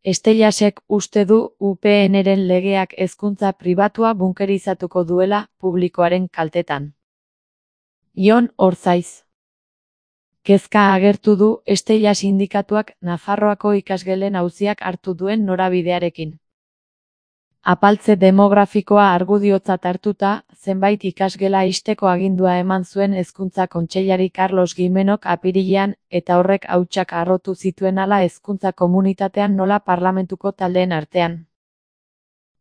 Estelasek uste du UPNren legeak hezkuntza pribatua bunkerizatuko duela publikoaren kaltetan. Jon Orzaiz. Kezka agertu du Estela sindikatuak Nafarroako ikasgelen auziak hartu duen norabidearekin. Apaltze demografikoa argudiotzat hartuta, zenbait ikasgela ixteko agindua eman zuen Hezkuntza Kontseilari Carlos Gimenok apirilean, eta horrek hautsak harrotu zituen hala hezkuntza komunitatean nola parlamentuko taldeen artean.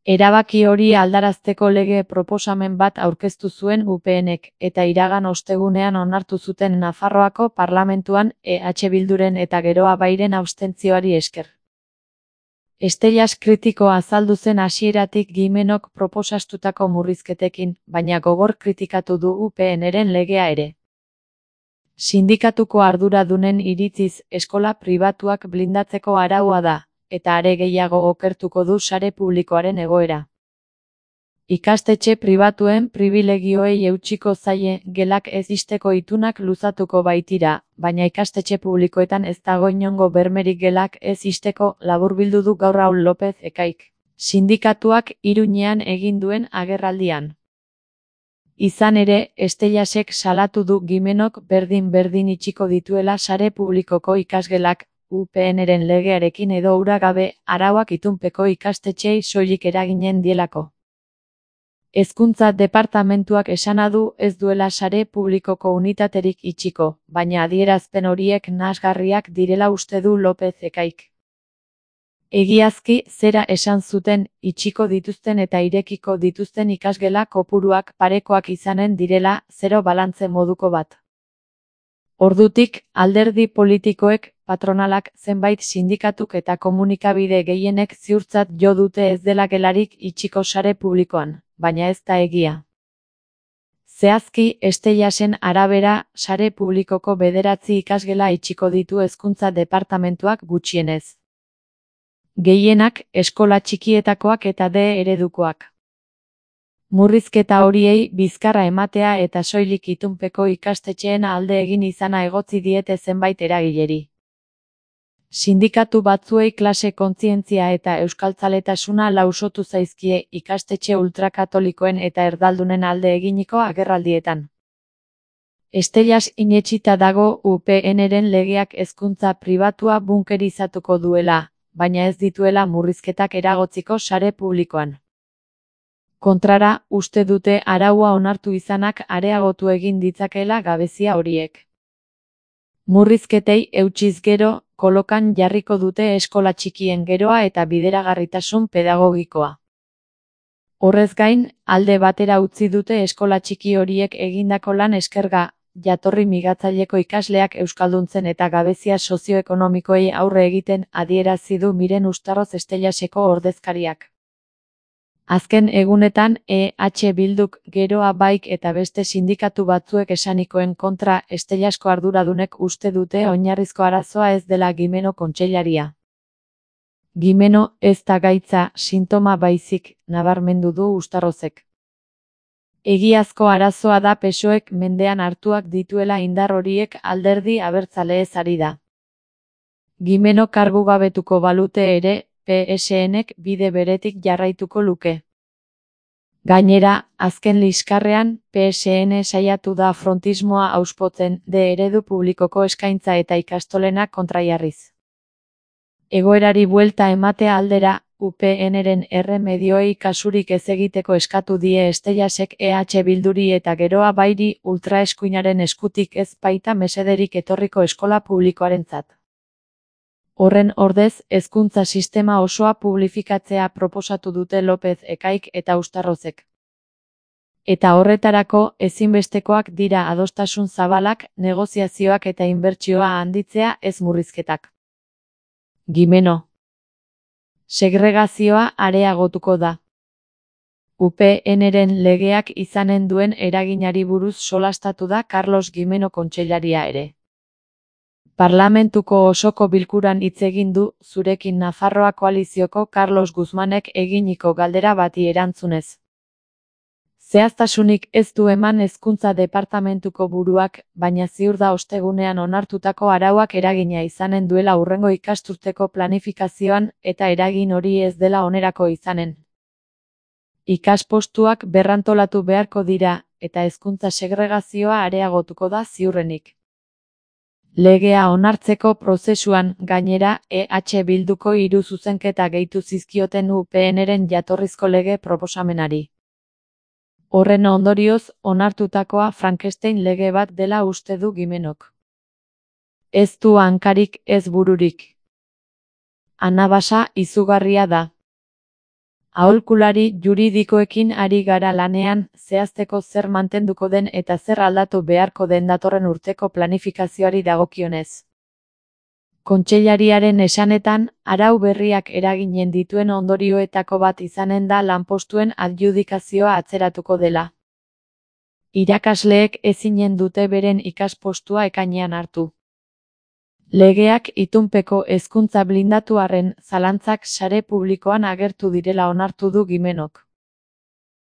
Erabaki hori aldarazteko lege proposamen bat aurkeztu zuen UPNek, eta iragan ostegunean onartu zuten Nafarroako parlamentuan Bilduren eta Geroa Bairen abstentzioari esker. Estelas kritiko azaldu zen hasieratik Gimenok proposatutako murrizketekin, baina gogor kritikatu du UPNren legea ere. Sindikatuko arduradunen iritziz eskola pribatuak blindatzeko araua da, eta are gehiago okertuko du sare publikoaren egoera. Ikastetxe pribatuen pribilegioei eutsiko zaie, gelak ez ixteko itunak luzatuko baitira, baina ikastetxe publikoetan ez dago inongo bermerik gelak ez ixteko, laburbildu du gaur Raul López Ekaik, sindikatuak Iruñean egin duen agerraldian. Izan ere, Estelasek salatu du Gimenok berdin itxiko dituela sare publikoko ikasgelak, UPNren legearekin edo ura gabe, arauak itunpeko ikastetxeei soilik eraginen dielako. Hezkuntza departamentuak esana du ez duela sare publikoko unitaterik itxiko, baina adierazpen horiek nahasgarriak direla uste du López Ekaik. Egiazki, zera esan zuten, itxiko dituzten eta irekiko dituzten ikasgela kopuruak parekoak izanen direla, zero balantze moduko bat. Ordutik, alderdi politikoek, patronalak, zenbait sindikatuk eta komunikabide gehienek ziurtzat jo dute ez dela gelarik itxiko sare publikoan, baina ez da egia. Zehazki, Estelasen arabera, sare publikoko 9 ikasgela itxiko ditu hezkuntza departamentuak gutxienez. Gehienak, eskola txikietakoak eta D eredukoak. Murrizketa horiei bizkarra ematea eta soilik itunpeko ikastetxeen alde egin izana egotzi diete zenbait eragileri. Sindikatu batzuei klase kontzientzia eta euskaltzaletasuna lausotu zaizkie ikastetxe ultrakatolikoen eta erdaldunen alde eginiko agerraldietan. Estelas inetsita dago UPNren legeak hezkuntza pribatua bunkerizatuko duela, baina ez dituela murrizketak eragotziko sare publikoan. Kontrara, uste dute araua onartu izanak areagotu egin ditzakeela gabezia horiek. Murrizketei eutsiz gero, kolokan jarriko dute eskola txikien geroa eta bideragarritasun pedagogikoa. Horrez gain, alde batera utzi dute eskola txiki horiek egindako lan eskerga, jatorri migatzaileko ikasleak euskalduntzen eta gabezia sozioekonomikoei aurre egiten adierazi du Miren Ustarroz Estelaseko ordezkariak. Azken egunetan Bilduk, Geroa Baik eta beste sindikatu batzuek esanikoen kontra Estelasko arduradunek uste dute oinarrizko arazoa ez dela Gimeno kontseilaria. Gimeno ez da gaitza, sintoma baizik, nabarmendu du Ustarrozek. Egiazko arazoa da PSOEk mendean hartuak dituela indar horiek alderdi abertzaleez ari da. Gimeno kargugabetuko balute ere, PSNek bide beretik jarraituko luke. Gainera, azken liskarrean, PSN saiatu da frontismoa auspotzen D eredu publikoko eskaintza eta ikastolenak kontrajarriz. Egoerari buelta ematea aldera, UPNren erremedioei kasurik ez egiteko eskatu die Estelasek Bilduri eta Geroa Bairi ultraeskuinaren eskutik ez baita mesederik etorriko eskola publikoarentzat. Horren ordez, hezkuntza sistema osoa publifikatzea proposatu dute López Ekaik eta Ustarrozek. Eta horretarako, ezinbestekoak dira adostasun zabalak, negoziazioak eta inbertsioa handitzea ez murrizketak. Gimeno. Segregazioa areagotuko da. UPNren legeak izanen duen eraginari buruz solastatu da Carlos Gimeno kontseilaria ere. Parlamentuko osoko bilkuran hitz egin du zurekin Nafarroa koalizioko Carlos Guzmanek eginiko galdera bati erantzunez. Zehaztasunik ez du eman Hezkuntza Departamentuko buruak, baina ziur da ostegunean onartutako arauak eragina izanen duela hurrengo ikasturteko planifikazioan eta eragin hori ez dela onerako izanen. Ikaspostuak berrantolatu beharko dira, eta hezkuntza segregazioa areagotuko da ziurrenik. Legea onartzeko prozesuan, gainera, EH Bilduko 3 zuzenketa gehitu zizkioten UPNren jatorrizko lege proposamenari. Horren ondorioz, onartutakoa Frankenstein lege bat dela uste du Gimenok. Ez du hankarik, ez bururik. Anabasa izugarria da. Aholkulari juridikoekin ari gara lanean, zehazteko zer mantenduko den eta zer aldatu beharko den datorren urteko planifikazioari dagokionez. Kontseilariaren esanetan, arau berriak eraginen dituen ondorioetako bat izanen da lanpostuen adjudikazioa atzeratuko dela. Irakasleek ezinen dute beren ikaspostua ekainean hartu. Legeak itunpeko hezkuntza blindatu arren zalantzak sare publikoan agertu direla onartu du Gimenok.